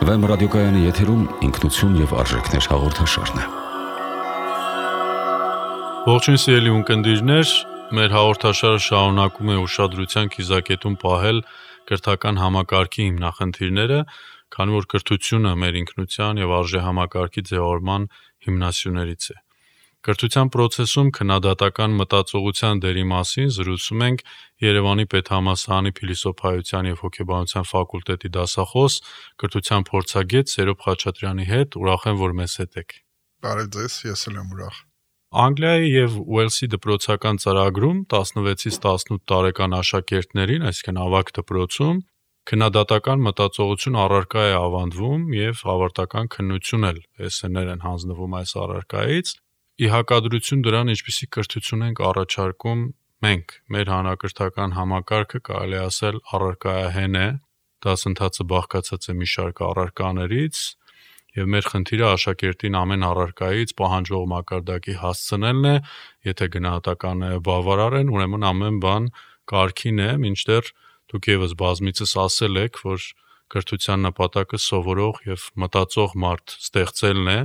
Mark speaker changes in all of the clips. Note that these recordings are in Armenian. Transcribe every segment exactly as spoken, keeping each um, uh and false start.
Speaker 1: Վեմ ռադիոկայանի եթերում ինքնություն և արժեքներ հաղորդաշարն է։
Speaker 2: Ողջույն սիրելի ունկնդիրներ, մեր հաղորդաշարը շարունակում է ուշադրության կիզակետում պահել կրթական համակարգի հիմնախնդիրները, քանի որ կրթությունը մեր ինքնության և արժեհամակարգի ձևավորման հիմնասյուներից է։ Կրթության պրոցեսում քննադատական մտածողության դերի մասին զրուցում ենք Երևանի պետհամալսարանի փիլիսոփայության և հոգեբանության ֆակուլտետի դասախոս, կրթության փորձագետ Սերոբ Խաչատրյանի հետ, ուրախ եմ, որ մեզ հետ եք։
Speaker 3: Բարև ձեզ, ես էլ եմ ուրախ։
Speaker 2: Անգլիայի և Ուելսի դպրոցական ծրագրում տասնվեցից տասնութ տարեկան աշակերտներին, այսինքն ավագ դպրոցում, քննադատական մտածողություն առարկա է ավանդվում և ավարտական քննություն էլ էսսեներ են հանձնվում այս առարկայից։ Ի հակադրություն դրան, ինչպիսի կրթություն ենք առաջարկում մենք, մեր հանրակրթական համակարգը կարելի ասել առարկայահեն է, դասընթացը բաղկացած է մի շարք առարկաներից, և մեր խնդիրը աշակերտին ամեն առարկայից պահանջվող մակարդակի հասցնելն է, եթե գնահատականները բավարար են, ուրեմն ամեն բան կարգին է, մինչդեռ դուք ևս բազմիցս ասել եք, որ կրթության նպատակը սովորող և մտածող մարդ ստեղծելն է,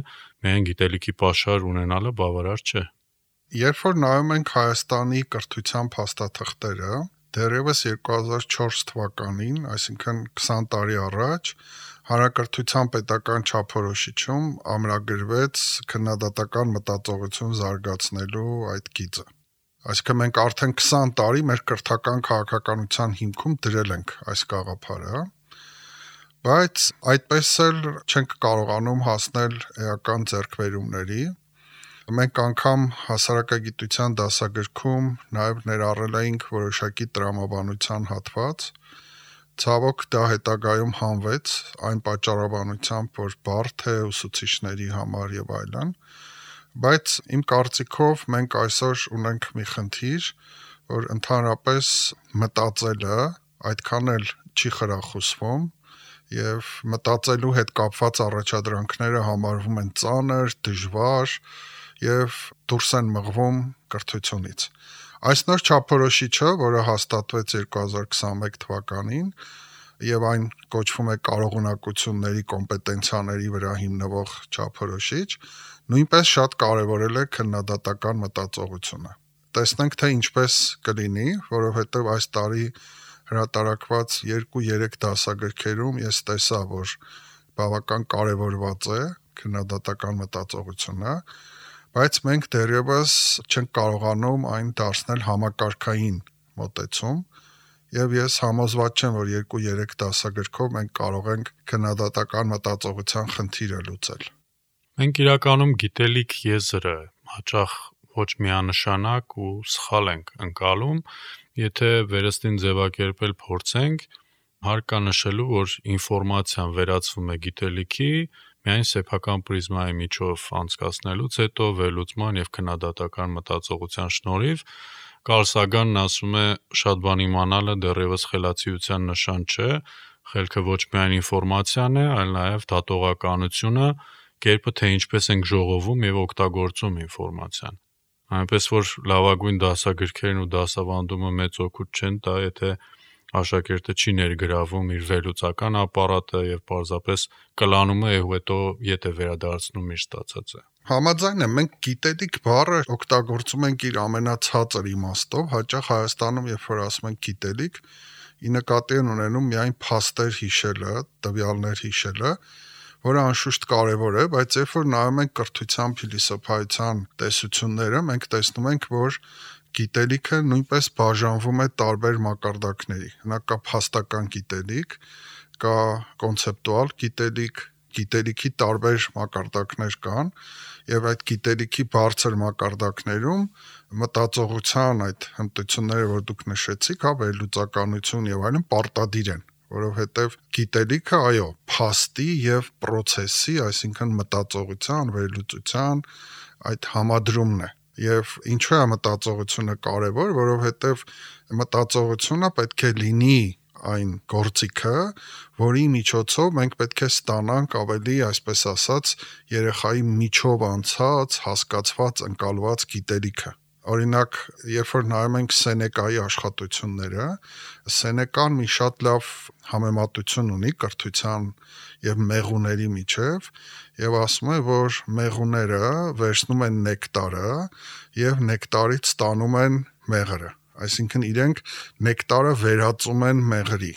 Speaker 2: միայն գիտելիքի պաշար ունենալը բավարար չէ։
Speaker 3: Երբ որ նայում ենք Հայաստանի կրթության փաստաթղթերը, դեռևս երկու հազար չորս թվականին, այսինքն քսան տարի առաջ, Հանրակրթության պետական չափորոշիչում ամրագրվեց քննադատական մտածողություն զարգացնելու այդ գիծը։ Այսինքն մենք արդեն քսան տարի մեր կրթական քաղաքականության հիմքում դրել ենք այս գաղափարը, բայց այդպես էլ չենք կարողանում հասնել էական ձեռքբերումների։ Մենք անգամ հասարակագիտության դասագրքում նաև ներառել էինք որոշակի տրամաբանության հատված, ցավոք դա հետագայում հանվեց այն պատճառաբանությամբ, որ բարդ է ուսուցիչների համար եւ այլն, բայց իմ կարծիքով մենք այսօր ունենք մի խնդիր, որ ընդհանրապես մտածելը այդքան էլ չի խրախուսվում և մտածելու հետ կապված առաջադրանքները համարվում են ծանր, դժվար և դուրս են մղվում կրթությունից։ Այս նոր չափորոշիչը, որը հաստատվեց երկու հազար քսանմեկ թվականին և այն կոչվում է կարողունակությունների կոմպետենցիաների վրա հիմնվող չափորոշիչ, նույնպես շատ կարևորել է քննադատական մտածողությունը։ Տեսնենք, թե ինչպես կլինի, որովհետև այս տարի հրատարակված երկու-երեք դասագրքերում ես տեսա, որ բավական կարևորված է քննադատական մտածողությունը, բայց մենք դեռևս չենք կարողանում այն դարձնել համակարգային մոտեցում, և ես համոզված չեմ, որ երկու-երեք դասագրքով մենք կարող ենք քննադատական մտածողության խնդիրը լուծել։
Speaker 2: Մենք իրականում գիտելիք եզրը հաճախ ոչ միանշանակ ու սխալ ենք ընկալում, եթե վերստին ձևակերպել փորձենք, հարկ կա նշելու, որ ինֆորմացիան վերածվում է գիտելիքի միայն սեփական պրիզմայի միջով անցկացնելուց հետո վերլուծման և քննադատական մտածողության շնորհիվ, Կարլ Սագանն ասում է, շատ բան իմանալը դեռևս խելացիության նշան չէ, խելքը ոչ միայն ինֆորմացիան է, այլ նաև դատողականությունը, կերպը, թե ինչպես ենք ժողովում և օգտագործում ինֆորմացիան։ Այնպես որ լավագույն դասագրքերն ու դասավանդումը մեծ օգուտ չեն տա, եթե աշակերտը չի ներգրավում իր վերլուծական ապարատը և պարզապես կլանում է ու հետո ետ է վերադարձնում իր ստացածը։
Speaker 3: Համաձայն եմ, մենք գիտելիք բառը օգտագործում ենք իր ամենացածր իմաստով, հաճախ Հայաստանում, երբ որ ասում ենք գիտելիք, ի նկատի են ունենում միայն փաստեր հիշելը, տվյալներ հիշելը, որը անշուշտ կարևոր է, բայց երբ որ նայում ենք կրթության փիլիսոփայության տեսությունները, մենք տեսնում ենք, որ գիտելիքը նույնպես բաժանվում է տարբեր մակարդակների։ Հնա կա փաստական գիտելիք, կա կոնցեպտուալ գիտելիք, գիտելիքի տարբեր մակարդակներ կան, և այդ գիտելիքի բարձր մակարդակներում մտածողության այդ հմտությունները, որ դուք նշեցիք, հա, վերլուծականություն և այլն, պարտադիր են, որովհետև գիտելիքը, այո, փաստի և պրոցեսի, այսինքն մտածողության, վերլուծության այդ համադրումն է։ Եվ ինչու է մտածողությունը կարևոր, որովհետև մտածողությունը պետք է լինի այն գործիքը, որի միջոցով մենք պետք է ստանանք ավելի, այսպես ասած, երեխայի միջով անցած, հասկացված, ընկալված գիտելիքը։ Օրինակ, երբ որ նայում ենք Սենեկայի աշխատությունները, Սենեկան մի շատ լավ համեմատություն ունի կրթության եւ մեղուների միջև, եւ ասում է, որ մեղուները վերցնում են նեկտարը եւ նեկտարից ստանում են մեղրը, այսինքն իրենք նեկտարը վերածում են մեղրի։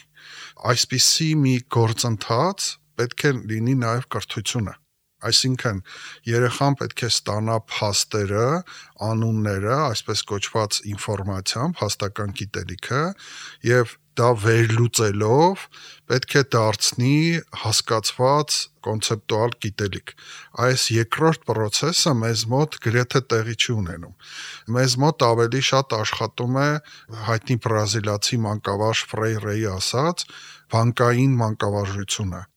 Speaker 3: Այսպիսի մի գործընթաց պետք է լինի նաեւ կրթությունը։ Այսինքն երեխան պետք է ստանա փաստերը, անունները, այսպես կոչված ինֆորմացիան, փաստական գիտելիքը եւ դա վերլուծելով պետք է դարձնի հասկացված կոնցեպտուալ գիտելիք։ Այս երկրորդ process-ը մեզ մոտ գրեթե տեղի չի ունենում։ Մեզ մոտ ավելի շատ աշխատում է հայտնի բրազիլացի մանկավարժ Ֆրեյրեի ասած բանկային մանկավարժությունը։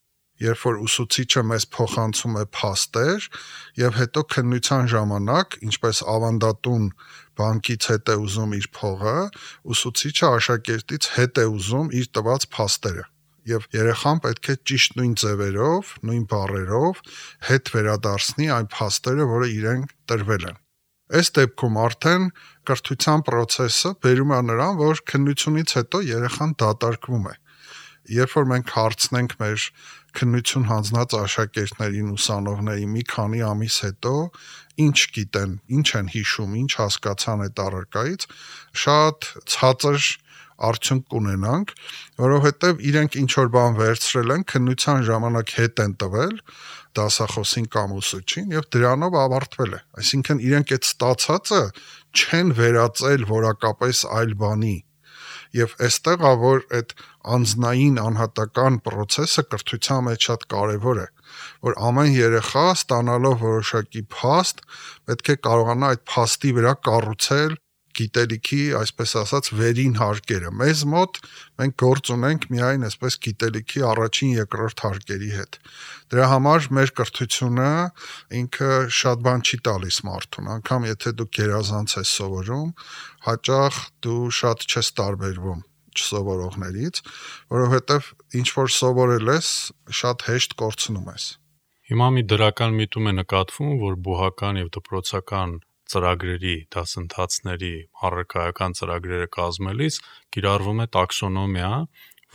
Speaker 3: Երբ որ ուսուցիչը մեզ փոխանցում է փաստեր եւ հետո քննության ժամանակ, ինչպես ավանդատուն բանկից հետ է ուզում իր փողը, ուսուցիչը աշակերտից հետ է ուզում իր տված փաստերը։ Եվ երեխան պետք է ճիշտ նույն ձևերով, նույն բառերով հետ վերադարձնի այն փաստերը, որը իրեն տրվել են։ Այս դեպքում արդեն կրթության process-ը բերում է նրան, որ քննությունից հետո երեխան դատարկվում է։ Երբ որ մենք հարցնենք մեր քննություն հանձնած աշակերտներին, ուսանողներին մի քանի ամիս հետո ինչ գիտեն, ինչ են հիշում, ինչ հասկացան այդ առարկայից, շատ ցածր արդյունք կունենանք, որովհետև իրենք ինչ որ բան վերցրել են, քննության ժամանակ հետ են տվել դասախոսին կամ ուսուցչին եւ դրանով ավարտվել է։ Այսինքն իրենք այդ ստացածը չեն վերածել որակապես այլ բանի։ Եվ այստեղ է, որ այդ անձնային անհատական process-ը կրթության մեջ շատ կարևոր է, որ ամեն երեխա ստանալով որոշակի փաստ, պետք է կարողանա այդ փաստի վրա կառուցել գիտելիքի, այսպես ասած, վերին հարկերը։ Մեզ մոտ մենք գործ ունենք միայն այսպես գիտելիքի առաջին, երկրորդ հարկերի հետ։ Դրա համար մեր կրթությունը ինքը շատ բան չի տալիս մարդուն, անգամ եթե դու գերազանց ես սովորում, հաճախ դու շատ չես տարբերվում չսովորողներից, որովհետև ինչ որ սովորել ես, շատ հեշտ կորցնում ես։
Speaker 2: Հիմա մի դրական միտում է նկատվում, որ բուհական եւ դպրոցական ծրագրերի, դասընթացների, առարկայական ծրագրերը կազմելիս կիրառվում է տաքսոնոմիա,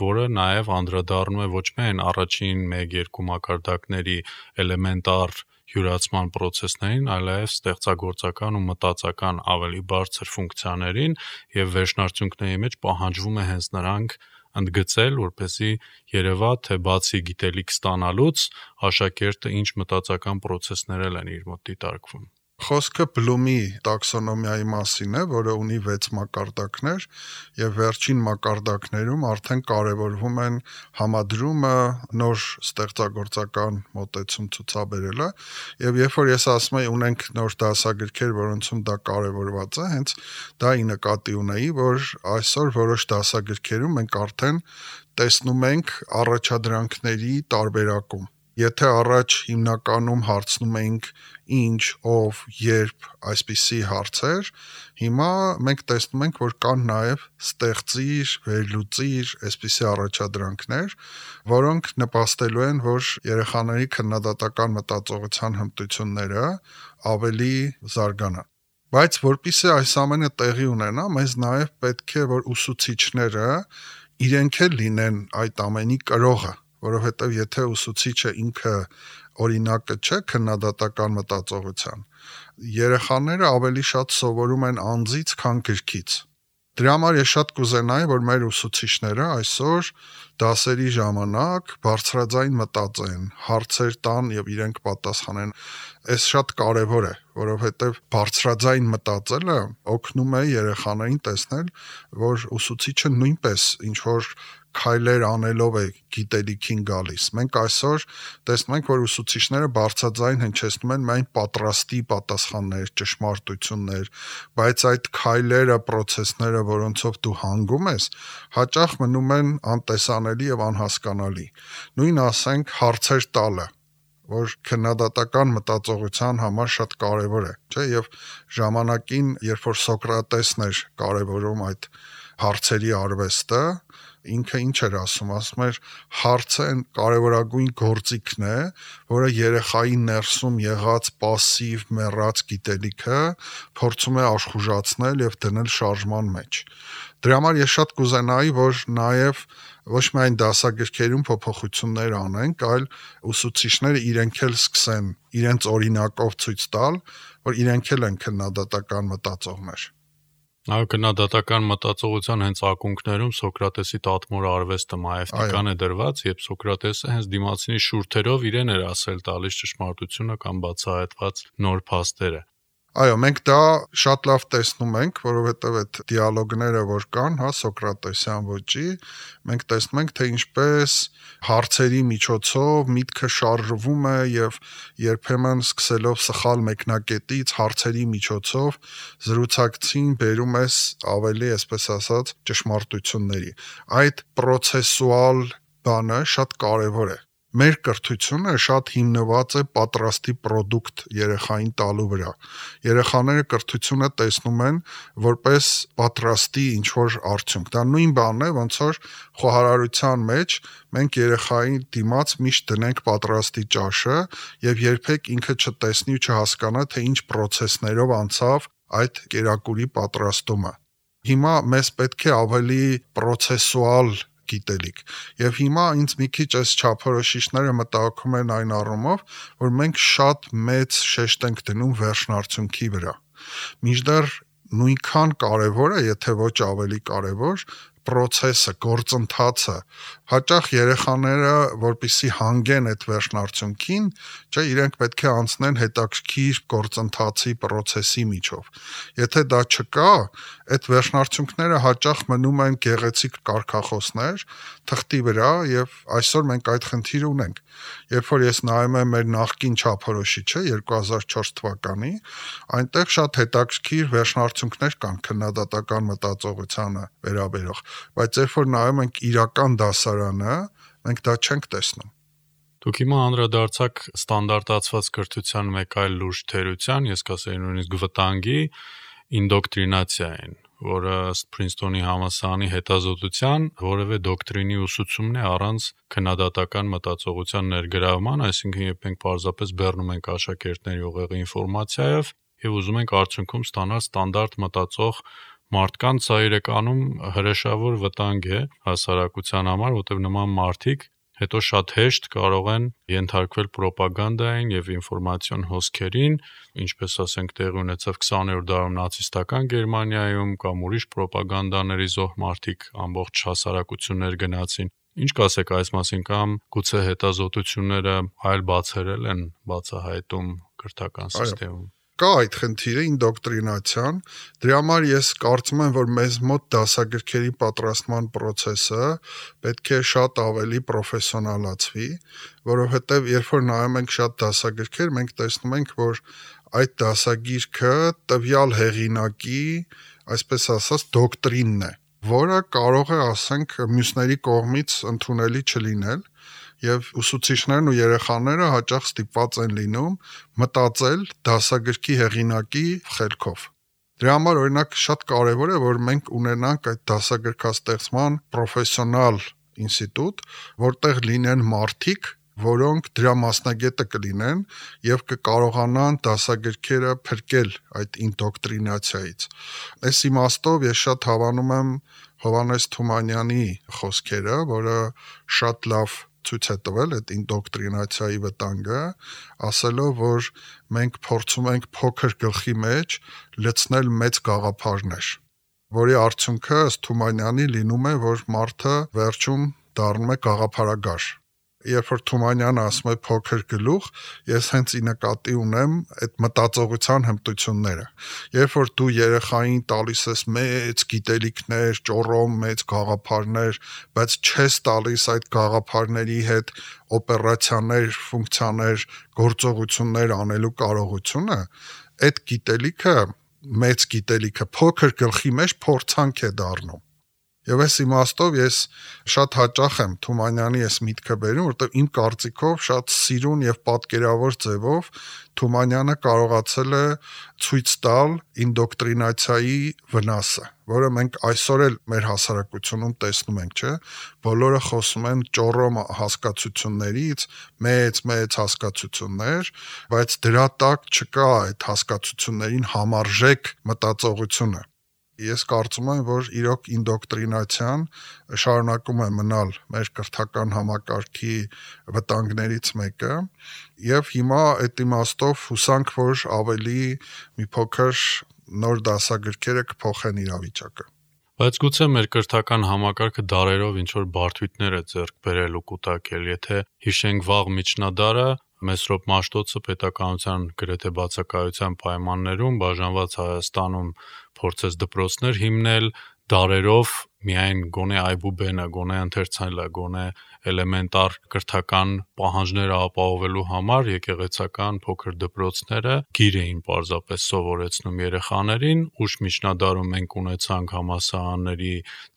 Speaker 2: որը նաև անդրադառնում է ոչ միայն առաջին մեկ-երկու մակարդակների էլեմենտար յուրացման process-ներին, այլև ստեղծագործական ու մտածական ավելի բարձր ֆունկցիաներին եւ վերջնարդյունքների մեջ պահանջվում է հենց նրանք ընդգծել, որպեսզի երևա, թե բացի գիտելիք ստանալուց աշակերտը ինչ մտածական process-ներ են իր մոտ դիտարկվում։
Speaker 3: Խոսքը Բլումի տաքսոնոմիայի մասին է, որը ունի վեց մակարդակներ եւ վերջին մակարդակներում արդեն կարևորվում են համադրումը, նոր ստեղծագործական մոտեցում ցուցաբերելը եւ երբ որ ես ասում եմ ունենք նոր դասագրքեր, որոնցում դա կարևորված է, հենց դա ի նկատի ունեի, որ այսօր որոշ դասագրքերում մենք արդեն տեսնում ենք առաջադրանքների տարբերակում։ Եթե առաջ հիմնականում հարցնում էինք ինչ, ով, երբ, այսպիսի հարցեր, հիմա մենք տեսնում ենք, որ կան նաև ստեղծիր, վերլուծիր, այսպիսի առաջադրանքներ, որոնք նպաստելու են, որ երեխաների քննադատական մտածողության հմտությունները ավելի զարգանան։ Բայց որpիսի այս ամենը տեղի ունենա, մեզ նաև պետք է, որ ուսուցիչները իրենք էլ լինեն այդ ամենի կրողը, որովհետև եթե ուսուցիչը ինքը օրինակը չէ քննադատական մտածողության, երեխաները ավելի շատ սովորում են անձից, քան գրքից։ Դրա համար ես շատ կուզենայի, որ մեր ուսուցիչները այսօր դասերի ժամանակ բարձրաձայն մտածեն, հարցեր տան եւ իրենք պատասխանեն։ Այս շատ կարեւոր է, որովհետեւ բարձրաձայն մտածելը օգնում է երեխաներին տեսնել, որ ուսուցիչը նույնպես ինչ որ քայլեր անելով է գիտելիքին գալիս։ Մենք այսօր տեսնում ենք, որ ուսուցիչները բարձրաձայն հնչեցնում են միայն պատրաստի պատասխաններ, ճշմարտություններ, բայց այդ քայլերը, process-ները, որոնցով դու հանգում ես, հաճախ մնում են անտեսանելի եւ անհասկանալի։ Նույն ասենք հարցեր տալը, որ քննադատական մտածողության համար շատ կարեւոր է, չէ՞, եւ ժամանակին, երբ որ Սոկրատեսն էր կարեւորում այդ հարցերի արվեստը, ինքը ինչ էր ասում, ասում էր հարցը այն կարևորագույն գործիքն է, որը երեխայի ներսում եղած пассив մեռած գիտելիքը փորձում է աշխուժացնել եւ դնել շարժման մեջ։ Դրա համար ես շատ կուզենայի, որ նաեւ ոչ միայն դասագրքերում փոփոխություններ անենք, այլ ուսուցիչները իրենք էլ սկսեն իրենց օրինակով ցույց տալ, որ իրենք էլ են քննադատական մտածողներ։
Speaker 2: Այո, քննադատական մտածողության հենց ակունքներում Սոկրատեսի տատմոր արվեստը մայեւտիկան է դրված, երբ Սոկրատեսը հենց դիմացինի շուրթերով իրեն էր ասել տալիս ճշմարտությունը կամ բացահայտված նոր փաստերը։
Speaker 3: Այո, մենք դա շատ լավ տեսնում ենք, որովհետև այդ դիալոգները, որ կան, հա, Սոկրատեսյան ոճի, մենք տեսնում ենք, թե ինչպես հարցերի միջոցով միտքը շարժվում է եւ երբեմն սկսելով սխալ մեկնակետից հարցերի միջոցով զրուցակցին բերում ես ավելի, այսպես ասած, ճշմարտությունների։ Այդ պրոցեսուալ բանը շատ կարեւոր է։ Մեր կրթությունը շատ հիմնված է պատրաստի product երեխային տալու վրա։ Երեխաները կրթությունը տեսնում են որպես պատրաստի ինչ-որ արդյունք։ Դա նույն բանն է, ոնց որ խոհարարության մեջ մենք երեխային դիմաց միշտ դնենք պատրաստի ճաշը եւ երբեք ինքը չտեսնի ու չհասկանա, թե ինչ process-ներով անցավ այդ կերակուրի պատրաստումը։ Հիմա մեզ պետք է ավելի processual գիտելիք։ Եվ հիմա ինձ մի քիչ այս չափորոշիչները մտահոգում են այն առումով, որ մենք շատ մեծ շեշտ ենք դնում վերջնարդյունքի վրա։ Մինչդեռ նույնքան կարևոր է, եթե ոչ ավելի կարևոր, process-ը, գործընթացը։ Հաճախ երեխաները, որպեսզի հանգեն այդ վերջնարդյունքին, չէ, իրենք պետք է անցնեն հետաքրքիր գործընթացի process-ի միջով։ Եթե դա չկա, այդ վերջնարդյունքները հաճախ մնում են գեղեցիկ կարգախոսներ թղթի վրա եւ այսօր մենք այդ խնդիրը ունենք։ Երբ որ ես նայում եմ մեր նախկին չափորոշիչը երկու հազար չորս թվականի, այնտեղ շատ հետաքրքիր վերջնարդյունքներ կան քննադատական մտածողությանը վերաբերող, բայց երբ որ նայում ենք իրական դասարանը, մենք դա չենք տեսնում։
Speaker 2: Դուք հիմա անդրադարձաք ստանդարտացված կրթության մեկ այլ լուրջ թերության, ես կասեի նույնիսկ վտանգի, ինդոկտրինացիային, որը ըստ Princeton-ի համալսարանի հետազոտության որևէ դոկտրինի ուսուցումն է առանց քննադատական մտածողության ներգրավման, այսինքն երբ մենք պարզապես բեռնում ենք աշակերտների ուղեղի ինֆորմացիայով եւ ուզում ենք արդյունքում ստանալ ստանդարտ մտածող մարդկանց, սա իրականում հրեշավոր վտանգ է հասարակության համար, որտեղ նման մարդիկ հետո շատ հեշտ կարող են ենթարկվել պրոպագանդային եւ ինֆորմացիոն հոսքերին, ինչպես ասենք տեղի ունեցավ քսաներորդ դարում նացիստական Գերմանիայում կամ ուրիշ պրոպագանդաների զոհ մարդիկ ամբողջ հասարակություններ գնացին։ Ինչ կասեք այս մասին, կամ գուցե հետազոտությունները այլ բացերել են բացահայտում կրթական համակարգում։
Speaker 3: Կա այդ խնդիրը ինդոկտրինացիան, դրա համար ես կարծում եմ, որ մեզ մոտ դասագրքերի պատրաստման process-ը պետք է շատ ավելի պրոֆեսիոնալացվի, որովհետև երբ որ նայում ենք շատ դասագրքեր, մենք տեսնում ենք, որ այդ դասագիրքը տվյալ հեղինակի, այսպես ասած, դոկտրինն է, որը կարող է, ասենք, մյուսների կողմից ընդունելի չլինել, եւ ուսուցիչներն ու երեխաները հաճախ ստիպված են լինում մտածել դասագրքի հեղինակի խելքով։ Դրա համար օրինակ շատ կարեւոր է, որ մենք ունենանք այդ դասագրքաստեղծման պրոֆեսիոնալ ինստիտուտ, որտեղ լինեն մարդիկ, որոնք դրա մասնագետը կլինեն եւ կկարողանան դասագրքերը փրկել այդ ինդոկտրինացիայից։ Այս իմաստով ես շատ հավանում եմ Հովհաննես Թումանյանի խոսքերը, որը շատ լավ ցույց է տվել այդ ինդոկտրինացիայի վտանգը, ասելով, որ մենք փորձում ենք փոքր գլխի մեջ լցնել մեծ գաղափարներ, որի արդյունքը ըստ Թումանյանի լինում է, որ մարդը վերջում դառնում է գաղափարագար։ Երբ որ Թումանյանը ասում է փոքր գլուխ, ես հենց ի նկատի ունեմ այդ մտածողության հմտությունները։ Երբ որ դու երեխային տալիս ես մեծ գիտելիքներ, ճոռոմ մեծ գաղափարներ, բայց չես տալիս այդ գաղափարների հետ օպերացիաներ, ֆունկցիաներ, գործողություններ անելու կարողությունը, այդ գիտելիքը, մեծ գիտելիքը փոքր գլխի մեջ փորձանք է դառնում։ Եվ այս իմաստով ես շատ հաճախ եմ Թումանյանի այս միտքը բերում, որտեղ իմ կարծիքով շատ սիրուն եւ պատկերավոր ձևով Թումանյանը կարողացել է ցույց տալ ինդոկտրինացիայի վնասը, որը մենք այսօր էլ մեր հասարակությունում տեսնում ենք, չէ՞։ Բոլորը խոսում են ճոռոմ հասկացություններից, մեծ-մեծ հասկացություններ, բայց դրա տակ չկա այդ հասկացություններին համարժեք մտածողությունը։ Ես կարծում եմ, որ իրոք ինդոկտրինացիան շարունակում է մնալ մեր կրթական համակարգի վտանգներից մեկը, եւ հիմա այդ իմաստով հուսանք, որ ավելի մի փոքր նոր դասագրքերը կփոխեն իրավիճակը։
Speaker 2: Բայց գուցե մեր կրթական համակարգը դարերով ինչ-որ բարդույթներ է ձեռք բերել ու կուտակել, եթե հիշենք վաղ միջնադարը, Մեսրոպ Մաշտոցը պետականության գրեթե բացակայության պայմաններում բաժանված Հայաստանում փորձեց դպրոցներ հիմնել, դարերով միայն գոնե այբուբենը, գոնե ընթերցելը, գոնե էլեմենտար կրթական պահանջները ապահովելու համար եկեղեցական փոքր դպրոցները գիր էին պարզապես սովորեցնում երեխաներին, ուշ միջնադարում մենք ունեցանք համալսարանների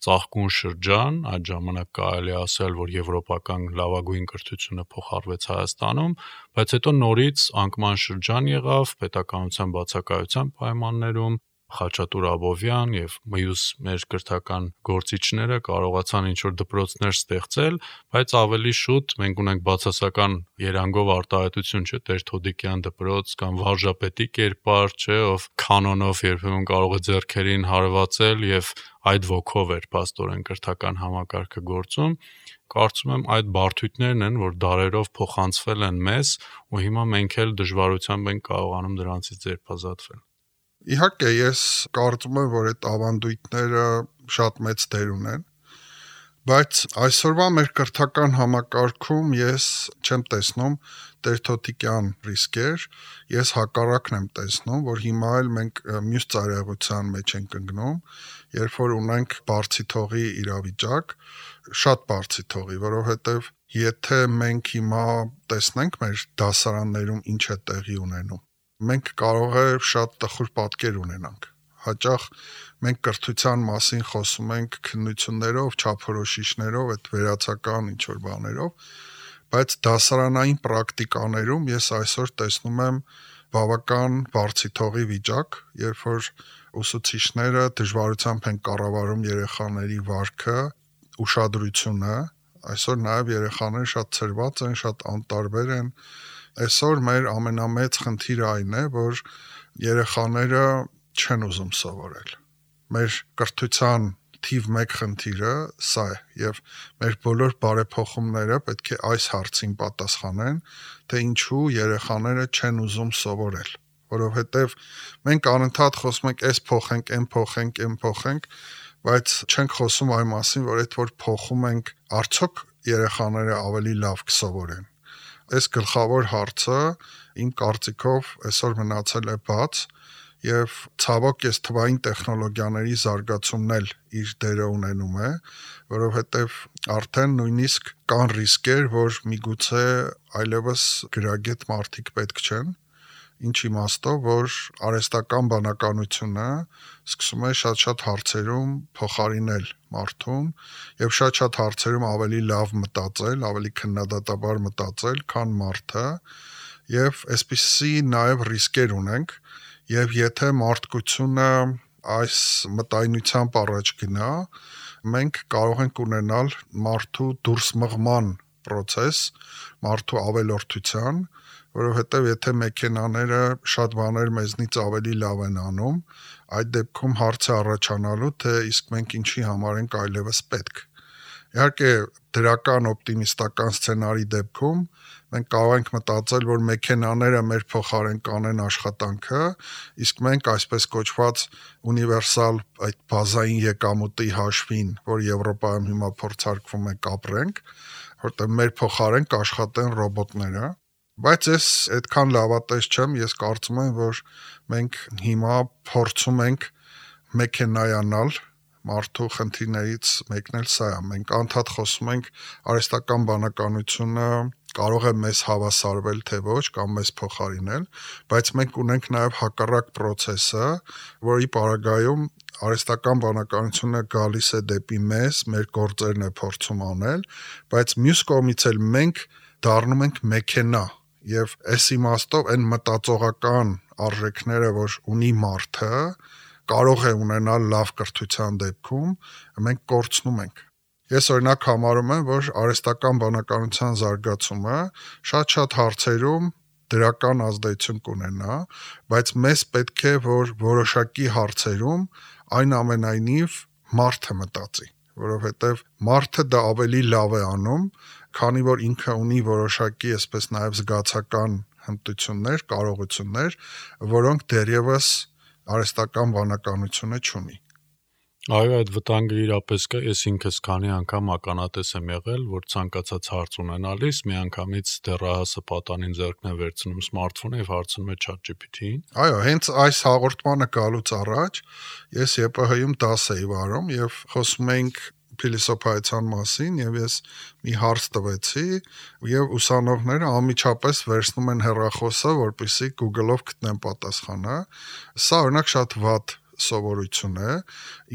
Speaker 2: ծաղկուն շրջան, այդ ժամանակ կարելի ասել, որ եվրոպական լավագույն կրթությունը փոխարվեց Հայաստանում, բայց հետո նորից անկման շրջան եղավ պետականության բացակայության պայմաններում, Խաչատուր Աբովյան եւ մյուս մեր կրթական գործիչները կարողացան ինչ-որ դպրոցներ ստեղծել, բայց ավելի շուտ մենք ունենք բացասական երանգով արտահայտություն, չէ՞, Տեր-Թոդիկյան դպրոց կամ վարժապետի կերպար, չէ, ով կանոնով երբեմն կարող է ձեռքերին հարվածել եւ այդ ոգով էր փաստորեն կրթական համակարգը գործում։ Կարծում եմ այդ բարդույթներն են, որ դարերով փոխանցվել են մեզ ու հիմա մենք էլ դժվարությամբ ենք կարողանում դրանցից ձերբազատվել։
Speaker 3: Իհարկե, ես կարծում եմ, որ այդ ավանդույթները շատ մեծ դեր ունեն, բայց այսօրվա մեր կրթական համակարգում ես չեմ տեսնում Տեր-Թոդիկյան ռիսկեր, ես հակառակն եմ տեսնում, որ հիմա էլ մենք մյուս ծայրահեղության մեջ ենք ընկնում, երբ որ ունենք բարձի թողի իրավիճակ, շատ բարձի թողի, որովհետև եթե մենք հիմա տեսնենք մեր դասարաններում ինչ է տեղի ունենում, մենք կարող է շատ տխուր պատկեր ունենանք։ Հաճախ մենք կրթության մասին խոսում ենք քննություններով, չափորոշիչներով, այդ վերացական ինչ-որ բաներով, բայց դասարանային պրակտիկաներում ես այսօր տեսնում եմ բավական բարձի թողի վիճակ, երբ որ ուսուցիչները դժվարությամբ են կառավարում երեխաների վարքը, ուշադրությունը, այսօր նաև երեխաները շատ ցրված են, շատ անտարբեր են։ Այսօր մեր ամենամեծ խնդիրը այն է, որ երեխաները չեն ուզում սովորել։ Մեր կրթության թիվ մեկ խնդիրը սա է, եւ մեր բոլոր բարեփոխումները պետք է այս հարցին պատասխանեն, թե ինչու երեխաները չեն ուզում սովորել, որովհետեւ մենք անընդհատ խոսում ենք, այս փոխենք, այն փոխենք, այն փոխենք, բայց չենք խոսում այն մասին, որ այդ որ փոխում ենք, արդյոք երեխաները ավելի լավ կսովորեն։ Այս գլխավոր հարցը իմ կարծիքով այսօր մնացել է բաց եւ ցավոք ես թվային տեխնոլոգիաների զարգացումն էլ իր դերը ունենում է, որովհետեւ արդեն նույնիսկ կան ռիսկեր, որ միգուցե այլևս գրագետ մարդիկ պետք չեն, ինչ իմաստով, որ արհեստական բանականությունը սկսում է շատ-շատ հարցերում փոխարինել մարդուն եւ շատ-շատ հարցերում ավելի լավ մտածել, ավելի քննադատաբար մտածել, քան մարդը, եւ այսպիսի նաեւ ռիսկեր ունենք, եւ եթե մարդկությունը այս մտայնությամբ առաջ գնա, մենք կարող ենք ունենալ մարդու դուրս մղման process, մարդու ավելորդության, որովհետև եթե մեքենաները շատ բաներ մեզնից ավելի լավ են անում, այդ դեպքում հարց է առաջանալու, թե իսկ մենք ինչի համար ենք այլևս պետք։ Իհարկե, դրական օպտիմիստական սցենարի դեպքում մենք կարող ենք մտածել, որ մեքենաները մեր փոխարեն կանեն աշխատանքը, իսկ մենք այսպես կոչված ունիվերսալ այդ բազային եկամուտի հաշվին, որ Եվրոպայում հիմա փորձարկվում է կապրենք, որտեղ մեր փոխարեն կաշխատեն ռոբոտները։ Բայց ես այդքան լավատես չեմ, ես կարծում եմ, որ մենք հիմա փորձում ենք մեքենայանալ, մարդու խնդիրներից մեկն էլ սա է, մենք անդադ խոսում ենք արհեստական բանականությունը կարող է մեզ հավասարվել թե ոչ կամ մեզ փոխարինել, բայց մենք ունենք նաև հակառակ process-ը, որի պարագայում արհեստական բանականությունը գալիս է դեպի մեզ, մեր գործերն է փորձում անել, բայց մյուս կողմից էլ մենք դառնում ենք մեքենա եւ այս իմաստով այն մտածողական արժեքները, որ ունի մարդը, կարող է ունենալ լավ կրթության դեպքում, մենք կորցնում ենք։ Ես օրինակ համարում եմ, որ արհեստական բանականության զարգացումը շատ-շատ հարցերում դրական ազդեցություն կունենա, բայց մեզ պետք է, որ որոշակի հարցերում այնուամենայնիվ մարդը մտածի, որովհետև մարդը դա ավելի լավ է անում, քանի որ ինքը ունի որոշակի, այսպես նաև զգացական հմտություններ, կարողություններ, որոնք դեռևս արհեստական բանականությունը չունի։
Speaker 2: Այո, այդ վտանգը իրապես կա, ես ինքս քանի անգամ ականատես եմ եղել, որ ցանկացած հարց ունենալիս միանգամից դեռահասը պատանին ձեռքն է վերցնում սմարթֆոնը եւ հարցնում է ChatGPT-ին։
Speaker 3: Այո, հենց այս հաղորդմանը գալուց առաջ ես ԵՊՀ-ում դաս էի վարում եւ խոսում էինք փիլիսոփայության մասին եւ ես մի հարց տվեցի եւ ուսանողները անմիջապես վերցնում են հեռախոսը, որպեսզի Google-ով գտնեն պատասխանը։ Սա օրինակ շատ վատ սովորություն է,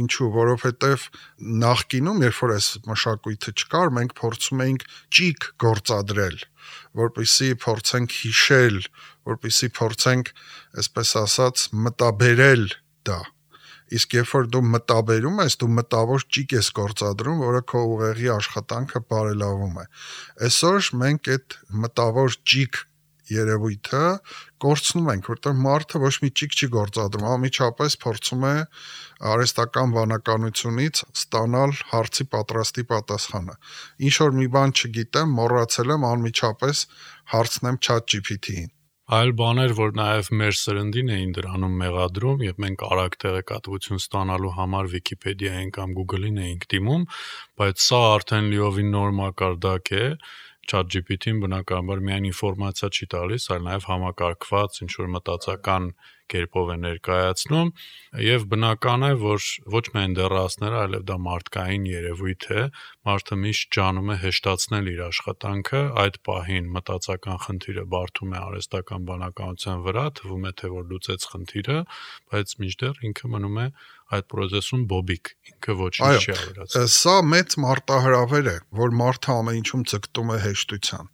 Speaker 3: ինչու, որովհետև նախկինում, երբ որ այս մշակույթը չկար, մենք փորձում էինք ճիգ գործադրել, որպեսզի փորձենք հիշել, որպեսզի փորձենք, այսպես ասած, մտաբերել դա։ Իսկ երբ որ դու մտաբերում ես, դու մտավոր ճիգ ես գործադրում, որը քո ուղեղի աշխատանքը բարելավում է։ Այսօր մենք այդ մտավոր ճիգ երևույթը կորցնում ենք, որտեղ մարդը ոչ մի ճիգ չի գործադրում, անմիջապես փորձում է արհեստական բանականությունից ստանալ հարցի պատրաստի պատասխանը։ Ինչ որ մի բան չգիտեմ, մոռացել եմ, անմիջապես հարցնեմ ChatGPT-ին։
Speaker 2: Այլ բաներ, որ նաև մեր սրնդին էին դրանում մեղադրում, եւ մենք արագ տեղեկատվություն ստանալու համար Wikipedia-ին կամ Google-ին էինք դիմում, բայց սա արդեն լիովին նոր մակարդակ է։ ChatGPT-ին բնականաբար միայն ինֆորմացիա չի տալիս, այլ նաև համակարգված ինչ-որ մտածական կերպով է ներկայացնում, եւ բնական է, որ ոչ միայն դեռահասները, այլև դա մարդկային երևույթ է, մարդը միշտ ջանում է հեշտացնել իր աշխատանքը, այդ պահին մտածական խնդիրը բարդում է արհեստական բանականության վրա, թվում է թե որ լուծեց խնդիրը, բայց մինչդեռ ինքը մնում է այդ process-ում բոբիկ, ինքը ոչինչ չի ավելացնում։
Speaker 3: Սա մեծ մարտահրավեր է, որ մարդը ամեն ինչում ձգտում է հեշտության,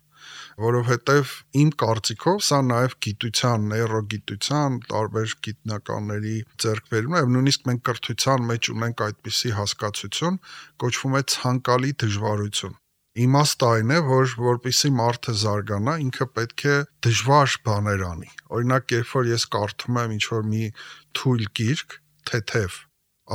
Speaker 3: որովհետև իմ կարծիքով սա նաև գիտության, նեյրոգիտության, տարբեր գիտնականների ձեռքբերումն է, եւ նույնիսկ մենք կրթության մեջ ունենք այդպիսի հասկացություն, կոչվում է ցանկալի դժվարություն։ Իմաստը այն է, որ որպեսզի մարդը զարգանա, ինքը պետք է դժվար բաներ անի։ Օրինակ, երբ որ ես կարդում եմ ինչ-որ մի թույլ գիրք, թեթև,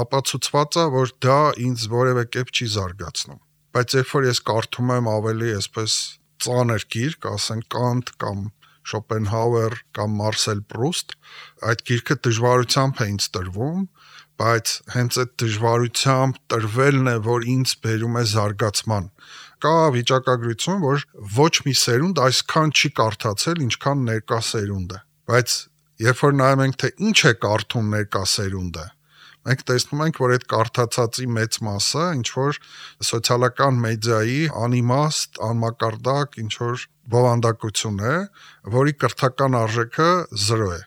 Speaker 3: ապացուցված է, որ դա ինձ որևէ կերպ չի զարգացնում։ Բայց երբ որ ես կարդում եմ ավելի այսպես ծանր գիրք, ասենք Կանտ կամ Շոպենհաուեր կամ Մարսել Պրուստ, այդ գիրքը դժվարությամբ է ինձ տրվում, բայց հենց այդ դժվարությամբ տրվելն է, որ ինձ բերում է զարգացման։ Կա վիճակագրություն, որ ոչ մի սերունդ այսքան չի կարդացել, ինչքան ներկա սերունդը։ Բայց երբ որ նայում ենք, թե ինչ է կարդում ներկա սերունդը, մենք տեսնում ենք, որ այդ կարդացածի մեծ մասը ինչ որ սոցիալական մեդիայի անիմաստ, անմակարդակ ինչ որ բովանդակություն է, որի կրթական արժեքը զրո է։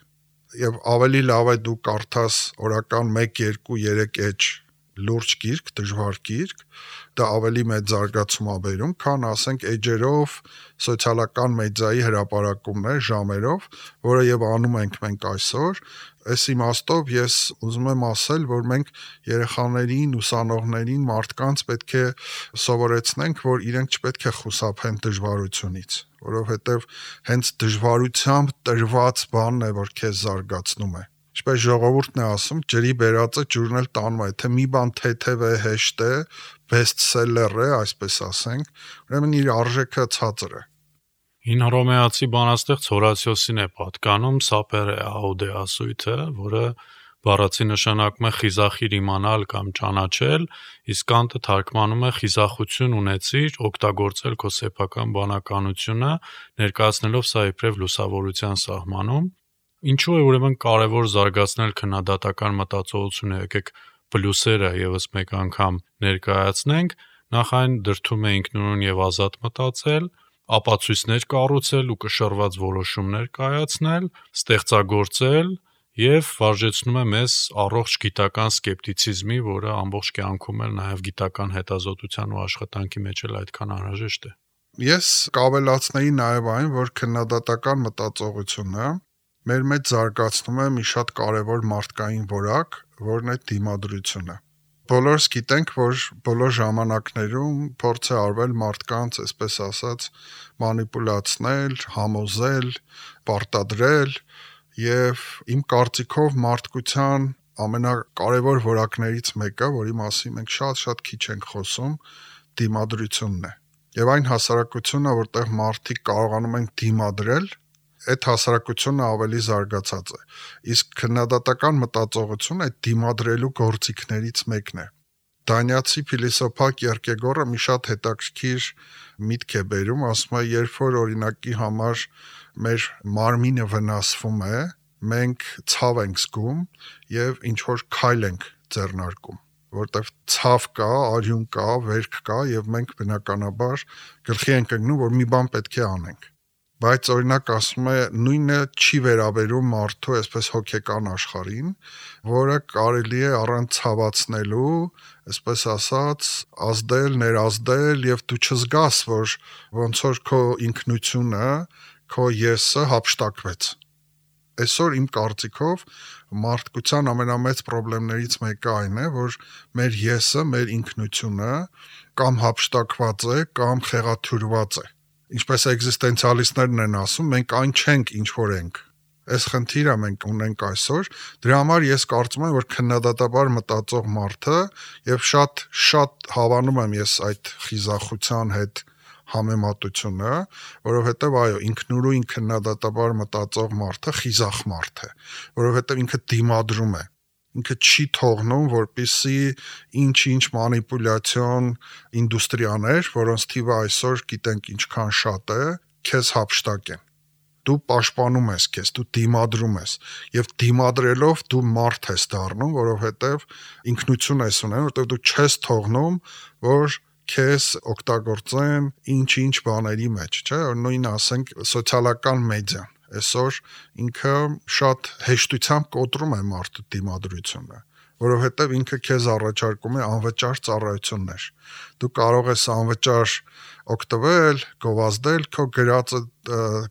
Speaker 3: Եվ ավելի լավ է դու կարդաս օրական մեկ, երկու, երեք էջ լուրջ գիրք, դժվար գիրք, դա ավելի մեծ զարգացում է բերում, քան ասենք էջերով սոցիալական մեդիայի հրապարակումներ ժամերով, որը եւ անում ենք մենք այսօր։ Այս իմաստով ես ուզում եմ ասել, որ մենք երեխաներին, ուսանողներին, մարդկանց պետք է սովորեցնենք, որ իրենք չպետք է խուսափեն դժվարությունից, որովհետև հենց դժվարությամբ տրված բանն է, որ քեզ զարգացնում է։ Ինչպես ժողովուրդն է ասում, ջրի բերածը ջուրն էլ տանում է, թե մի բան թեթև է, հեշտ է, բեսթսելլեր է, այսպես ասենք, ուրեմն իր արժեքը ցածր է։
Speaker 2: Հին հռոմեացի բանաստեղծ Հորացիոսին է պատկանում Սապերը աուդե ասույթը, որը բառացի նշանակում է խիզախիր իմանալ կամ ճանաչել, իսկ Կանտը թարգմանում է խիզախություն ունեցիր, օգտագործել քո սեփական բանականությունը, ներկայացնելով սա իբրև լուսավորության սահմանում։ Ինչու է ուրեմն կարևոր զարգացնել քննադատական մտածողությունը, եկեք պլյուսերը եւս մեկ անգամ ներկայացնենք, նախ այն դրդում է ինքնուրույն եւ ազատ մտածել, ապացույցներ կառուցել ու կշռված որոշումներ կայացնել, ստեղծագործել եւ վարժեցնում է մեզ առողջ գիտական սկեպտիցիզմի, որը ամբողջ կյանքում էլ նաեւ գիտական հետազոտության ու աշխատանքի մեջ էլ այդքան անհրաժեշտ է։
Speaker 3: Ես կավելացնեի նաեւ այն, որ քննադատական մտածողությունը մեր մեջ զարգացնում է մի շատ կարևոր մարդկային որակ, որն է դիմադրությունը։ Բոլորս գիտենք, որ բոլոր ժամանակներում փորձ է արվել մարդկանց, այսպես ասած, մանիպուլացնել, համոզել, պարտադրել եւ իմ կարծիքով մարդկության ամենակարևոր որակներից մեկը, որի մասին մենք շատ-շատ քիչ ենք խոսում, դիմադրությունն է։ Եվ այն հասարակությունը, որտեղ մարդիկ կարողանում են դիմադրել, այդ հասարակությունը ավելի զարգացած է։ Իսկ քննադատական մտածողությունը այդ դիմադրելու գործիքներից մեկն է։ Դանիացի փիլիսոփա Կիերկեգորը մի շատ հետաքրքիր միտք է բերում, ասում է, երբ որ օրինակի համար մեր մարմինը վնասվում է, մենք ցավ ենք զգում եւ ինչ որ քայլ ենք ձեռնարկում, որտեվ ցավ կա, արյուն կա, վերք կա եւ մենք բնականաբար գլխի ենք ընկնում, որ մի բան պետք է անենք։ Բայց օրինակ ասում է, նույնը չի վերաբերում մարդու այսպես հոգեկան աշխարհին, որը կարելի է առանց ցավացնելու, այսպես ասած, ազդել, ներազդել եւ դու չզգաս, որ ոնց որ քո ինքնությունը, քո եսը հափշտակվեց։ Այսօր իմ կարծիքով մարդկության ամենամեծ խնդիրներից մեկը այն է, որ մեր եսը, մեր ինքնությունը կամ հափշտակված է, կամ խեղաթյուրված է։ Ինչպես էգզիստենցիալիստներն են ասում, մենք այն չենք, ինչ որ ենք։ Այս խնդիրը մենք ունենք այսօր, դրա համար ես կարծում եմ, որ քննադատաբար մտածող մարդը եւ շատ շատ հավանում եմ ես այդ խիզախության հետ համեմատությունը, որովհետեւ այո, ինքնուրույն քննադատաբար մտածող մարդը խիզախ մարդ է, որովհետեւ ինքը դիմադրում է, ինքը չի թողնում, որպիսի ինչ-ինչ մանիպուլյացիոն ինդուստրիաներ, որոնց թիվը այսօր գիտենք ինչքան շատ է, քեզ հափշտակեն։ Դու պաշտպանում ես քեզ, դու դիմադրում ես, եւ դիմադրելով դու մարդ ես դառնում, որովհետեւ ինքնություն ես ունենում, որովհետեւ դու չես թողնում, որ քեզ օգտագործեն ինչ-ինչ բաների մեջ, չէ՞, նույն ասենք սոցիալական մեդիան այսօր ինքը շատ հեշտությամբ կոտրում է մարդու դիմադրությունը, որովհետև ինքը քեզ առաջարկում է անվճար ծառայություններ։ Դու կարող ես անվճար օգտվել, գովազդել, քո գրածը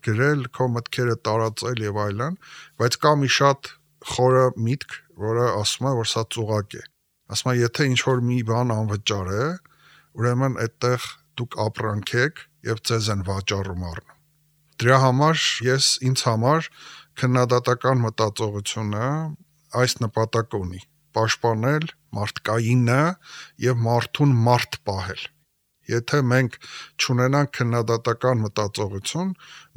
Speaker 3: գրել, քո մտքերը տարածել եւ այլն, բայց կա մի շատ խորը միտք, որը ասում է, որ սա ծուղակ է։ Ասում է, եթե ինչ-որ մի բան անվճար է, ուրեմն այդտեղ դուք ապրանք եք եւ ձեզ են վաճառում առնում։ Դրա համար ես ինձ համար քննադատական մտածողությունը այս նպատակը ունի՝ պաշտպանել մարդկայինը եւ մարդուն մարդ պահել։ Եթե մենք չունենանք քննադատական մտածողություն,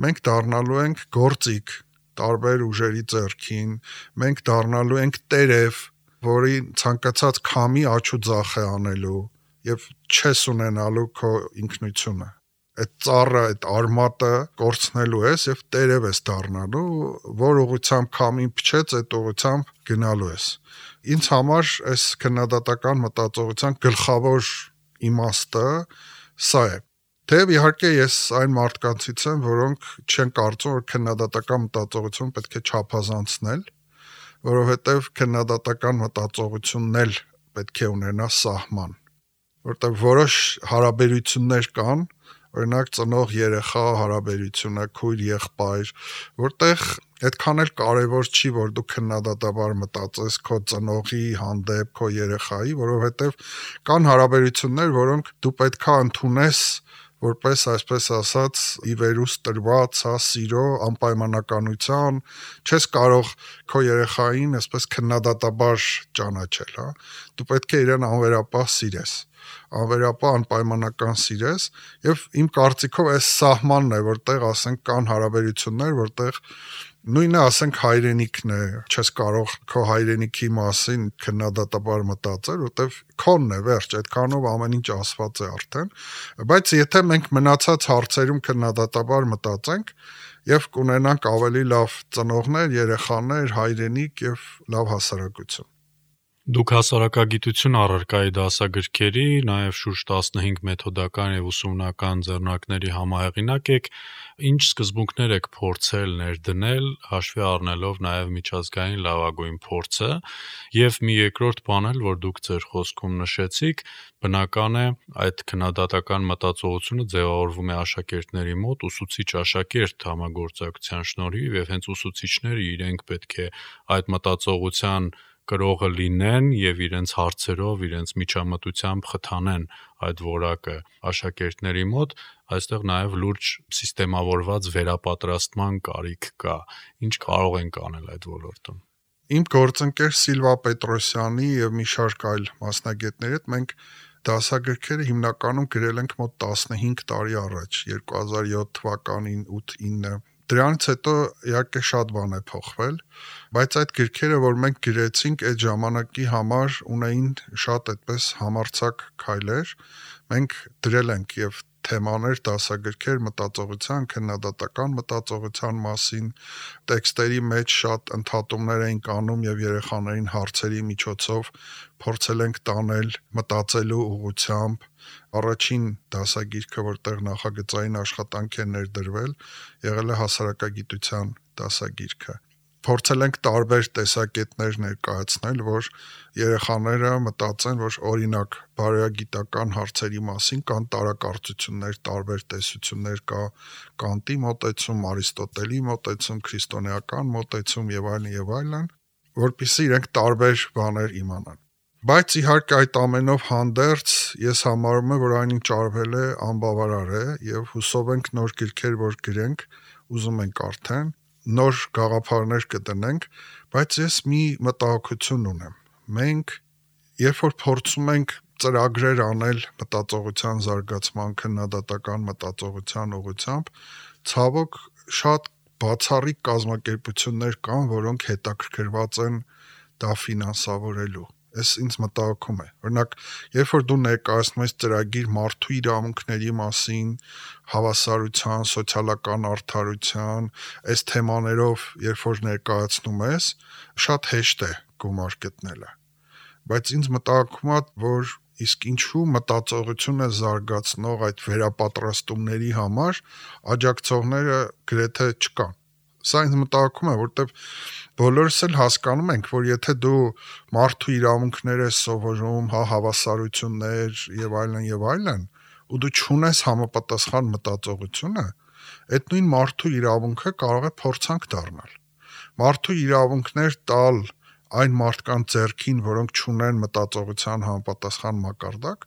Speaker 3: մենք դառնալու ենք գործիք տարբեր ուժերի ձեռքին, մենք դառնալու ենք տերև, որի ցանկացած քամի աչու ձախ է անելու եւ չես ունենալու քո ինքնությունը։ Այդ ծառը, այդ արմատը կորցնելու ես եւ տերև ես դառնալու, որ ուղղությամբ քամին փչեց, այդ ուղղությամբ գնալու ես։ Ինձ համար այս քննադատական մտածողության գլխավոր իմաստը սա է։ Թեև իհարկե ես այն մարդկանցից եմ, որոնք չեն կարծում, որ քննադատական մտածողություն պետք է չափազանցնել, որովհետեւ քննադատական մտածողությունն էլ պետք է ունենա սահման, որտեղ որոշ հարաբերություններ կան, օրինակ ծնող երեխա հարաբերությունը, քույր եղբայր, որտեղ այդքան էլ կարևոր չի, որ դու քննադատաբար մտածես քո ծնողի հանդեպ, քո երեխայի, որովհետև կան հարաբերություններ, որոնք դու պետքա ընդունես որպես այսպես ասած ի վերուս տրված, հա, սիրո, անպայմանականության, չես կարող քո երեխային այսպես քննադատաբար ճանաչել, հա։ Դու պետք է իրեն անվերապահ սիրես, անվերապահ անպայմանական սիրես, եւ իմ կարծիքով այս սահմանն է, որտեղ ասենք կան հարաբերություններ, որտեղ նույնը ասենք հայրենիքն է, չես կարող քո հայրենիքի մասին քննադատաբար մտածել, որտեվ քոնն է, վերջ, այդքանով ամեն ինչ ասված է արդեն, բայց եթե մենք մնացած հարցերում քննադատաբար մտածենք եւ կունենանք ավելի լավ ծնողներ, երեխաներ, հայրենիք եւ լավ հասարակություն։
Speaker 2: Դուք հասարակագիտություն առարկայի դասագրքերի, նաև շուրջ տասնհինգ մեթոդական եւ ուսումնական ձեռնարկների համահեղինակ եք, ինչ սկզբունքներ եք փորձել ներդնել, հաշվի առնելով նաև միջազգային լավագույն փորձը, եւ մի երկրորդ բան էլ, որ դուք ձեր խոսքում նշեցիք, բնական է այդ քննադատական մտածողությունը ձևավորվում է աշակերտների մոտ ուսուցիչ աշակերտ համագործակցության շնորհիվ եւ հենց ուսուցիչները իրենք պետք է այդ մտածողության կրողը լինեն եւ իրենց հարցերով, իրենց միջամտությամբ խթանեն այդ որակը աշակերտների մոտ, այստեղ նաեւ լուրջ սիստեմավորված վերապատրաստման կարիք կա։ Ինչ կարող ենք անել այդ ոլորտում։
Speaker 3: Իմ գործընկեր Սիլվա Պետրոսյանի եւ մի շարք այլ մասնագետների հետ մենք դասագրքերը հիմնականում գրել ենք մոտ տասնհինգ տարի առաջ, երկու հազար յոթ թվականին ութ ինը Դրանից հետո իհարկե շատ բան է փոխվել, բայց այդ գրքերը, որ մենք գրեցինք այդ ժամանակի համար, ունեին շատ այդպես համարձակ քայլեր։ Մենք դրել ենք եւ թեմաներ, դասագրքեր մտածողության, քննադատական մտածողության մասին, տեքստերի մեջ շատ ընդհատումներ էինք անում եւ երեխաներին հարցերի միջոցով փորձել ենք տանել մտածելու ուղղությամբ։ Առաջին դասագիրքը, որտեղ նախագծային աշխատանք է ներդրվել, եղել է հասարակագիտության դասագիրքը։ Փորձել ենք տարբեր տեսակետներ ներկայացնել, որ երեխաները մտածեն, որ օրինակ բարոյագիտական հարցերի մասին կան տարակարծություններ, տարբեր տեսություններ կա Կանտի մոտեցում, Արիստոտելի մոտեցում, քրիստոնեական մոտեցում եւ այլն եւ այլն, որպեսզի իրենք տարբեր բաներ իմանան։ Բայց իհարկե այդ ամենով հանդերձ ես համարում եմ, որ այնինչ արվել է անբավարար է եւ հուսով ենք նոր գրքեր, որ գրենք, ուզում ենք արդեն նոր գաղափարներ կդնենք, բայց ես մի մտահոգություն ունեմ։ Մենք երբ որ փորձում ենք ծրագրեր անել մտածողության զարգացման, քննադատական մտածողության ուղղությամբ, ցավոք շատ բացառիկ կազմակերպություններ կան, որոնք հետաքրքրված են դա ֆինանսավորելու։ Այս ինձ մտահոգում է։ Օրինակ, երբ որ դու ներկայացնում ես ծրագիր մարդու իրավունքների մասին, հավասարության, սոցիալական արդարության, այս թեմաներով, երբ որ ներկայացնում ես, շատ հեշտ է գումար գտնելը։ Բայց ինձ մտահոգում է, որ իսկ ինչու մտածողությունը զարգացնող այդ վերապատրաստումների համար աջակցողները գրեթե չկան։ Սա ինձ մտահոգում է, որտեղ բոլորս էլ հասկանում ենք, որ եթե դու մարդու իրավունքներ ես սովորում, հա հավասարություններ եւ այլն եւ այլն, ու դու չունես համապատասխան մտածողությունը, այդ նույն մարդու իրավունքը կարող է փորձանք դառնալ։ Մարդու իրավունքներ տալ այն մարդկանց ձեռքին, որոնք չունեն մտածողության համապատասխան մակարդակ,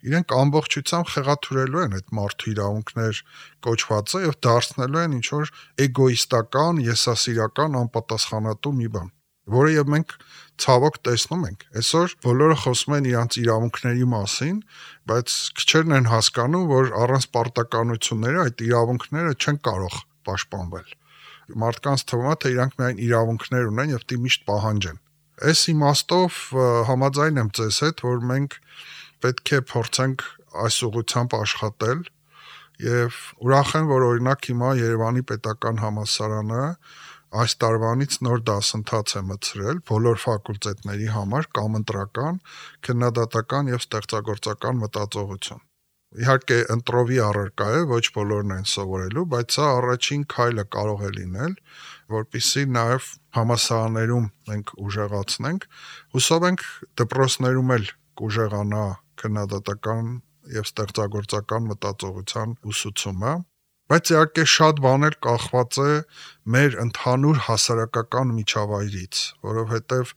Speaker 3: իրենք ամբողջությամբ խեղաթյուրելու են այդ մարդու իրավունքներ կոչվածը եւ դարձնելու են ինչ որ էգոիստական, եսասիրական, անպատասխանատու մի բան, որը եւ մենք ցավոք տեսնում ենք։ Այսօր բոլորը խոսում են իրանց իրավունքների մասին, բայց քչերն են հասկանում, որ առանց պարտականությունների այդ իրավունքները չեն կարող պաշտպանվել։ Մարդկանց թվում է, թե իրանք միայն իրավունքներ ունեն եւ դի միշտ պահանջեն։ Այս իմաստով համաձայն եմ ձեզ հետ, որ մենք պետք է փորձենք այս ուղղությամբ աշխատել եւ ուրախ եմ, որ օրինակ հիմա Երևանի պետական համալսարանը այս տարվանից նոր դասընթաց է մտցրել բոլոր ֆակուլտետների համար կամ ընտրական, քննադատական եւ ստեղծագործական մտածողություն։ Իհարկե ընտրովի առարկա է, ոչ բոլորն են սովորելու, բայց սա առաջին քայլը կարող է լինել, որպեսզի նաև համալսարաններում մենք ուժեղացնենք, հուսով ենք դպրոցներում էլ կուժեղանա քննադատական եւ ստեղծագործական մտածողության ուսուցումը, բայց իհարկե շատ բան էլ կախված է մեր ընդհանուր հասարակական միջավայրից, որովհետեւ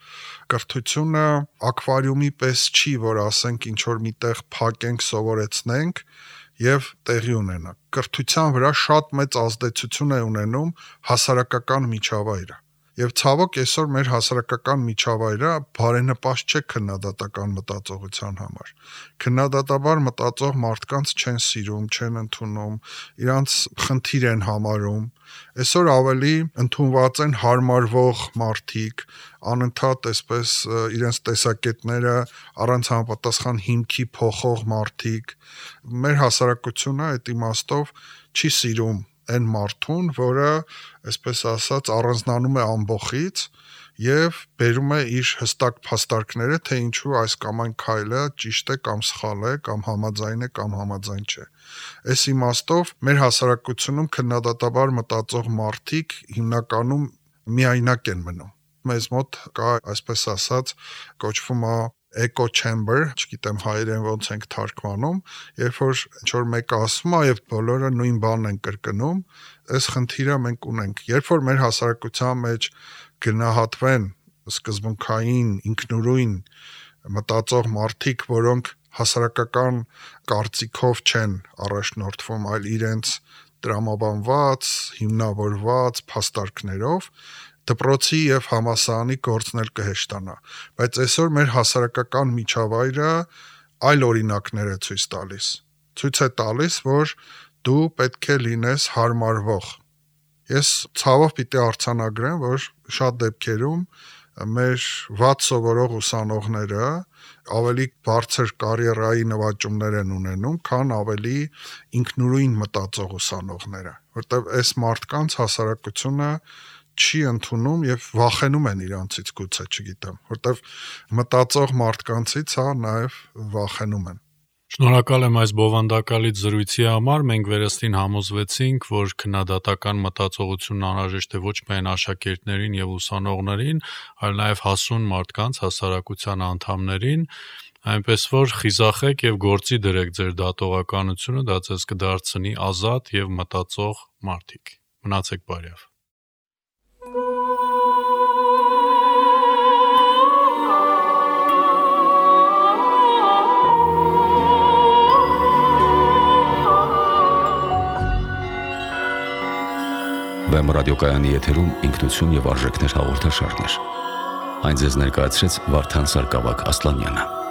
Speaker 3: կրթությունը ակվարիումի պես չի, որ ասենք ինչ որ միտեղ փակենք, սովորեցնենք եւ տեղի ունենա։ Կրթության վրա շատ մեծ ազդեցություն է ունենում հասարակական միջավայրը։ Եվ ցավոք այսօր մեր հասարակական միջավայրը բարենպաստ չէ քննադատական մտածողության համար։ Քննադատաբար մտածող մարդկանց չեն սիրում, չեն ընդունում, իրանց խնդիր են համարում։ Այսօր ավելի ընդունված են հարմարվող մարդիկ, անընդհատ այսպես իրենց տեսակետները առանց համապատասխան հիմքի փոխող մարդիկ։ Մեր հասարակությունը այդ իմաստով չի սիրում այն մարդուն, որը, այսպես ասած, առանձնանում է ամբողից եւ բերում է իր հստակ փաստարկները, թե ինչու այս կամ այն քայլը ճիշտ է կամ սխալ է, կամ համաձայն է կամ համաձայն չէ։ Այս իմաստով մեր հասարակությունում քննադատաբար մտածող մարդիկ հիմնականում միայնակ են մնում։ Մեզ մոտ կա, այսպես ասած, կոչվում է echo chamber, չգիտեմ հայերեն ոնց ենք թարգմանում, երբ որ ինչ-որ մեկը ասում է եւ բոլորը նույն բանն են կրկնում, այս խնդիրը մենք ունենք։ Երբ որ մեր հասարակության մեջ գնահատվեն սկզբունքային, ինքնուրույն մտածող մարդիկ, որոնք հասարակական կարծիքով չեն առաջնորդվում, այլ իրենց տրամաբանված, հիմնավորված փաստարկներով, դպրոցի եւ համալսարանի գործն էլ կհեշտանա, բայց այսօր մեր հասարակական միջավայրը այլ օրինակներ է ցույց տալիս։ Ցույց է տալիս, որ դու պետք է լինես հարմարվող։ Ես ցավով պիտի արձանագրեմ, որ շատ դեպքերում մեր վատ սովորող ուսանողները ավելի բարձր կարիերայի նվաճումներ են ունենում, քան ավելի ինքնուրույն մտածող ուսանողները, որտեղ այս մարդկանց հասարակությունը չի ընդունում եւ վախենում են իրանցից գուցե, չգիտեմ, որտեվ մտածող մարդկանցից հա նաեւ վախենում են։
Speaker 2: Շնորհակալ եմ այս բովանդակալից զրույցի համար։ Մենք վերստին համոզվեցինք, որ քննադատական մտածողությունն անհրաժեշտ է ոչ միայն աշակերտներին եւ ուսանողներին, այլ նաեւ հասուն մարդկանց, հասարակության անդամներին, այնպես որ խիզախեք եւ գործի դրեք ձեր դատողականությունը, դա ձեզ կդարձնի ազատ եւ մտածող մարդիկ։ Մնացեք բարյավ։
Speaker 1: Վեմ ռադիոկայանի եթերում ինքնություն եւ արժեքներ հաղորդաշարներ։ Այն ձեզ ներկայացրեց Վարդան Սարգսակ Ասլանյանը։